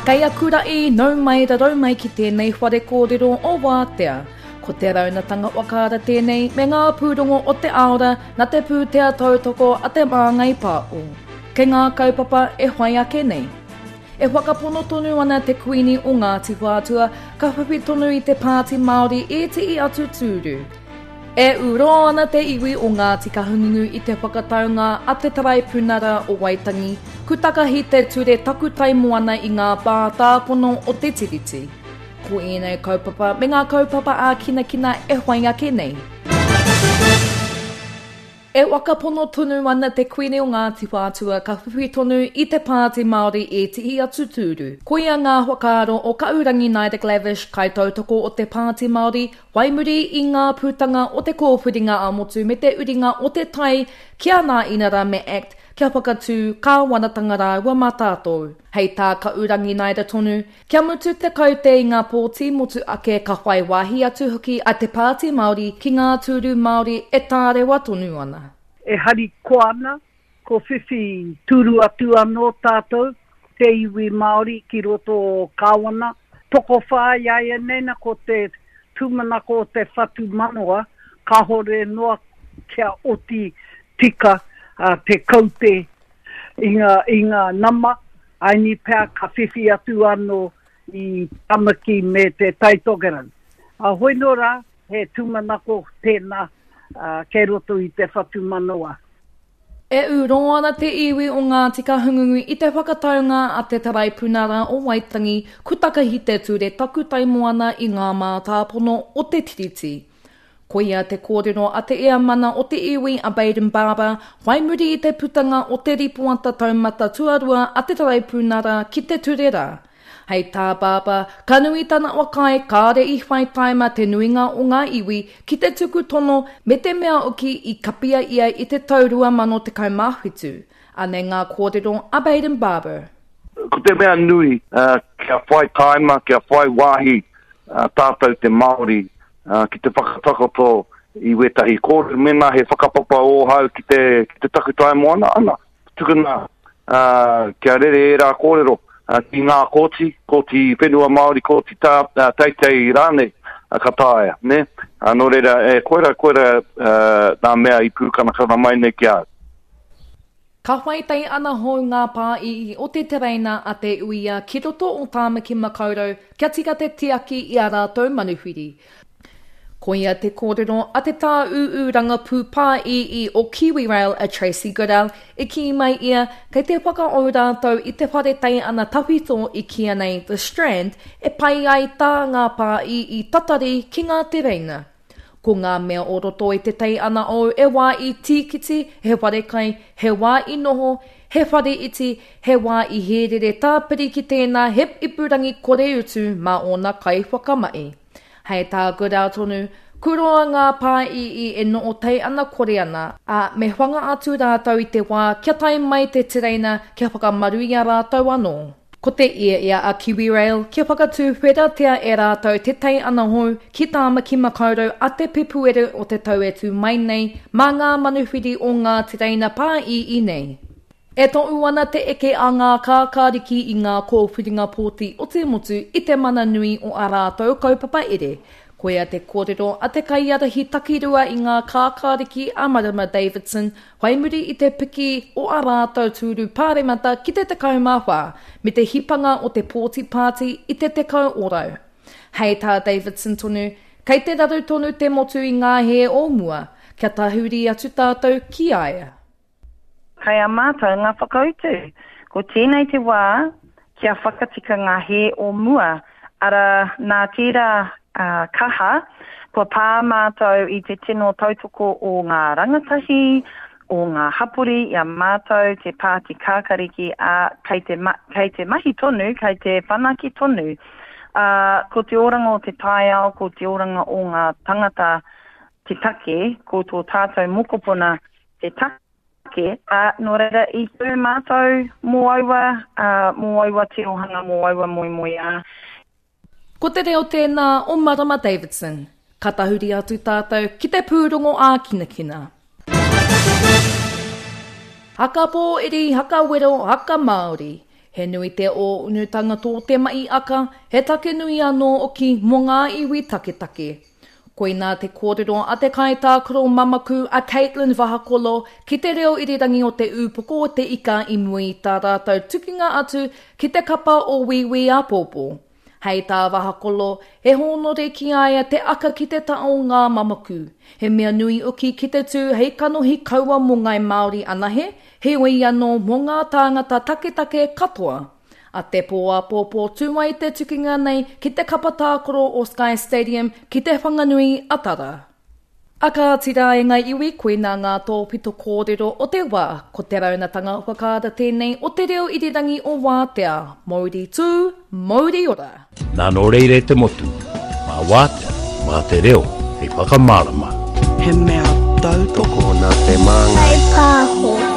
Kei aku raʻi, nau mai rarau mai ki tēnei whare kōrero o Wātea. Ko te raunatanga whakaara tēnei me ngā pūrongo o te aora na te pūtea tautoko a Te Māngai Pāo. Kei ngā kaupapa e whai ake nei. E whakapono tonu ana te Kuini o Ngāti Whātua ka whiwhi tonu i te Pāti Māori ētehi atu tūru. E ū roa ana te iwi o Ngāti Kahungunu i te whakataunga a te Taraipunara o Waitangi, ku takahi te ture takutai moana i ngā mātāpono o te Tiriti. Ko ēnei kaupapa me ngā kaupapa ākinakina e whai ake nei. E whakapono tonu ana te Kuini o Ngāti Whātua ka whiwhi tonu i te Pāti Māori ētehi atu tūru. Koia ngā whakaaro o Ka'urangi Naida Glavish, kaitautoko o te Pāti Māori, whai muri i ngā putanga o te kōwhiringa ā-motu me te uringa o te tai ki a Nā Inara me act kia whakatū kāwanatanga rāua mā tātou. Hei tā Ka'urangi Naida tonu, Kia mutu te kaute i ngā pōti motu ake ka whai wāhi atu hoki a Te Pāti Māori ki ngā tūru Māori e tārewa tonu ana. E harikoa ana, ko whiwhi tūru atu anō tātou, te iwi Māori ki roto o Kāwana. Tokowhā iaianei na ko te tūmanako o te whatumanawa kāore noa kia oti tika te kaute i ngā, i ngā nama, aini pea ka whiwhi atu anō i Tamaki me te Tai Tokerau. A hoi nō rā, he tūmanako tēnā kei roto i te whatumanawa. E ū roa ana te iwi o Ngāti Kahungunu i te whakataunga a te Taraipunara o Waitangi ku takahi te ture takutai moana i ngā mātāpono o te Tiriti. Koia te kōrero a te Eamana o te iwi a Bayden Barber whai muri i te putanga o te ripoata taumata tuarua a te Taraipunara ki te ture rā. Hei tā Barber, ka nui tana whakaae kāore i whai taima te nuinga o ngā iwi ki te tuku tono me te mea hoki i kapia ia i te tau 2017. Anei ngā kōrero a Bayden Barber. Ko te mea nui, kia whai taima, kia whai wāhi tātou te Māori ki te whakatakoto i wētahi kōrero, mēnā he whakapapa ōhau ki te, ki te takutai moana, ana, tukuna uh, kia rere ērā kōrero uh, ki ngā kōti, kōti whenua Māori, kōti tā, uh, teitei rānei, uh, ka taea, ne? Uh, nō reira, e, koira, koira uh, nā mea i pūkanakana mai nei ki a au. Ka whai tai ana hou ngā pāi'i o te tereina a Te Uia ki roto o Tāmaki Makaurau kia tika te tiaki i a rātou manuwhiri. Koia te kōrero a te tāūū rangapū pāi'i o KiwiRail a Tracey Goodell, i kī mai ia kei te whakaou rātou i te whare teiana tawhito i kīia nei The Strand e pai ai tā ngā pāi'i tatari ki ngā tereina. Ko ngā mea o roto i te tei ana ou e wā i tīkiti, he wharekai, he wā i noho, he whare iti, he wā i hērere tāpiri ki tēnā he ipurangi kore utu mā ōna kaiwhakamahi. Hei tā Goodall tonu, kuroa ngā pāi'i e noho tei ana kore ana, ā, me whanga atu rātou i te wā kia tae mai te tereina kia whakamaru i a rātou anō. Ko te ia a KiwiRail kia whakatūwheratia e rātou te tei anahou ki Tāmaki Makaurau a te Pepuere o te tau e tū mai nei mā ngā manuwhiri o ngā tereina pāīī nei. E tohu ana te eke a ngā kākāriki i ngā kōwhiringa pōti o te motu i te mana nui o ā rātou kaupapa ere. Koia te kōrero a te kaiārahi takirua i ngā kākāriki a Marama Davidson Whai muri i te piki o ā rātou tūru pāremata ki te 14, me te hipanga o te pōti pāti i te 10 ōrau. Hei tā Davidson tonu, kei te raru tonu te motu i ngā hē o mua, kia tahuri atu tātou ki a ia. Kei a mātou ngā whakautu. Ko tēnei te wā kia whakatika ngā hē o mua, arā, nā tērā kaha, kua pā mātou i te tino tautoko o ngā rangatahi, o ngā hapori i a mātou te Pāti Kākariki, ā, kei te, kei te mahi tonu, kei te whanake tonu. Ā, ko te oranga o te taiao, ko te oranga o ngā tangata te take, ko tō tātou mokopuna te take. Ake, ā, nō reira i tū mātou mō aua, ā, mō aua tirohanga, mō aua moemoeā. Ko te reo tēnā o Marama Davidson. Ka tahuri atu tātou ki te pūrongo ākinakina. Haka pōiri, haka wero, haka Māori. He nui te ōunutanga tō te maʻi aka, he take nui anō oki mō ngā iwi taketake. Koinā te kōrero a te kaitākaro mamaku a Katelyn Vahakolo ki te reo irirangi o Te Ūpoko o Te Ika i mua i tā rātou tukinga atu ki te kapa o Wīwī āpōpō. Hei tā Vahakolo, he hōnore ki a ia te aka ki te ta o ngā mamaku. He mea nui oki ki te tū hei kanohi kaua mō Ngāi Māori anahe, heoi anō mō ngā tāngata taketake katoa. A te pō āpōpō tū ai te tukinga nei ki te kapa tākaro o Sky Stadium ki Te Whanganui a Tara. A kāti rā e ngā iwi, koinā ngā tōpito kōrero o te wā, ko te raunatanga whakaara tēnei o te reo irirangi o Wātea, Mouri tū, mouri ora! Nā nō reira e te motu, mā Wātea, mā te reo hei whakamārama. He mea tautoko. Tokona te māngai. Whai pāho.